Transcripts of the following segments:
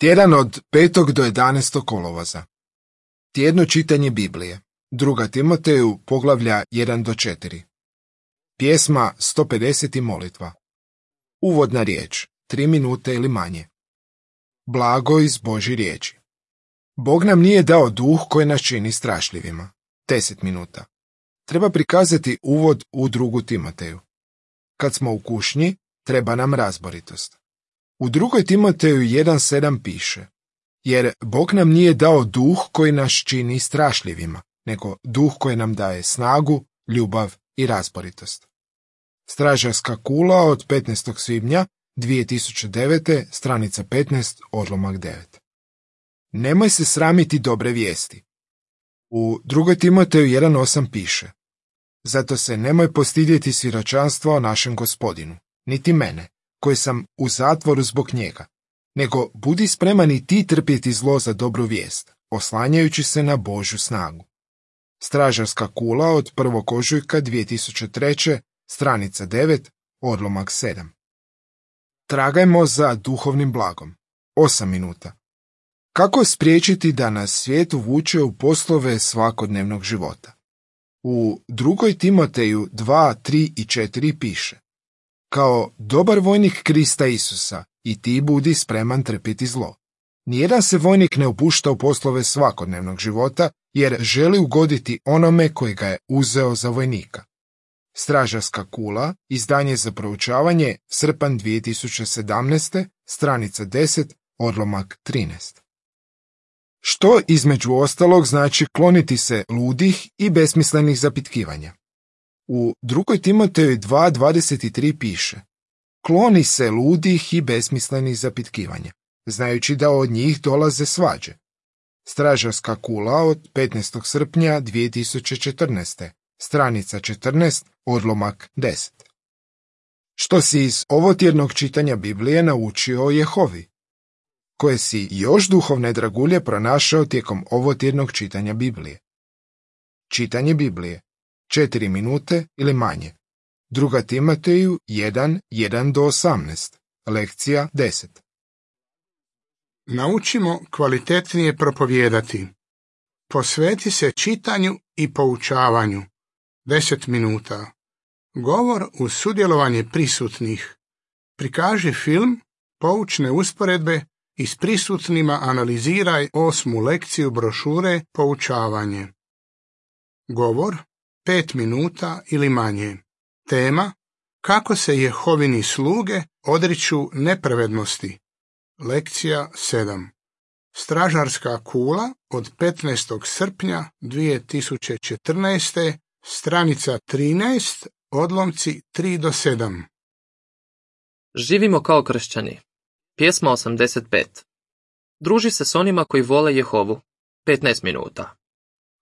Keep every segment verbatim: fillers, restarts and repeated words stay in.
Tjedan od petog do jedanaestog kolovoza. Tjedno čitanje Biblije. Druga Timoteju, poglavlja jedan do četiri. Pjesma sto pedeset i molitva. Uvodna riječ, tri minute ili manje. Blago iz Božje riječi. Bog nam nije dao duh koji nas čini strašljivima. deset minuta. Treba prikazati uvod u drugu Timoteju. Kad smo u kušnji, treba nam razboritost. U drugoj Timoteju jedan sedam piše: jer Bog nam nije dao duh koji nas čini strašljivima, nego duh koji nam daje snagu, ljubav i razboritost. Stražarska kula od petnaestog svibnja dvije tisuće devete, stranica petnaest, odlomak devet. Nemoj se sramiti dobre vijesti. U drugoj Timoteju jedan osam piše: zato se nemoj postidjeti svjedočanstva o našem Gospodinu, niti mene, koji sam u zatvoru zbog njega, nego budi spreman i ti trpjeti zlo za dobru vijest, oslanjajući se na Božju snagu. Stražarska kula od prvog ožujka dvije tisuće treće, stranica devet, odlomak sedam. Tragajmo za duhovnim blagom. osam minuta. Kako spriječiti da nas svijet uvuče u poslove svakodnevnog života? U drugoj Timoteju dva, tri i četiri piše: kao dobar vojnik Krista Isusa, i ti budi spreman trpiti zlo. Nijedan se vojnik ne upušta u poslove svakodnevnog života, jer želi ugoditi onome koji ga je uzeo za vojnika. Stražarska kula, izdanje za proučavanje, srpanj dvije tisuće sedamnaeste, stranica deset, odlomak trinaest. Što između ostalog znači kloniti se ludih i besmislenih zapitkivanja? U drugoj Timoteju dva, dvadeset tri piše: kloni se ludih i besmislenih zapitkivanja, znajući da od njih dolaze svađe. Stražarska kula od petnaestog srpnja dvije tisuće četrnaeste, stranica četrnaest, odlomak deset. Što si iz ovotjednog čitanja Biblije naučio o Jehovi? Koje si još duhovne dragulje pronašao tijekom ovotjednog čitanja Biblije? Čitanje Biblije. četiri minute ili manje. Druga Timoteju jedan, jedan do osamnaest. Lekcija deset. Naučimo kvalitetnije propovijedati. Posveti se čitanju i poučavanju. deset minuta. Govor uz sudjelovanje prisutnih. Prikaži film, poučne usporedbe i s prisutnima analiziraj osmu lekciju brošure Poučavanje. Govor pet minuta ili manje. Tema: kako se Jehovini sluge odriču nepravednosti. Lekcija sedam. Stražarska kula od petnaestog srpnja dvije tisuće četrnaeste, stranica trinaest, odlomci tri do sedam. Živimo kao kršćani. Pjesma osamdeset pet. Druži se s onima koji vole Jehovu. petnaest minuta.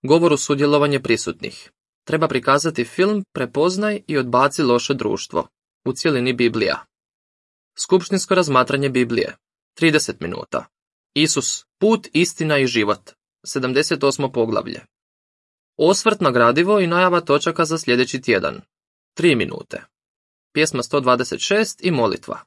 Govor uz sudjelovanje prisutnih. Treba prikazati film Prepoznaj i odbaci loše društvo. U cjelini Biblija. Skupštinsko razmatranje Biblije. trideset minuta. Isus, put, istina i život. sedamdeset osmo poglavlje. Osvrt na gradivo i najava točaka za sljedeći tjedan. tri minute. Pjesma sto dvadeset šest i molitva.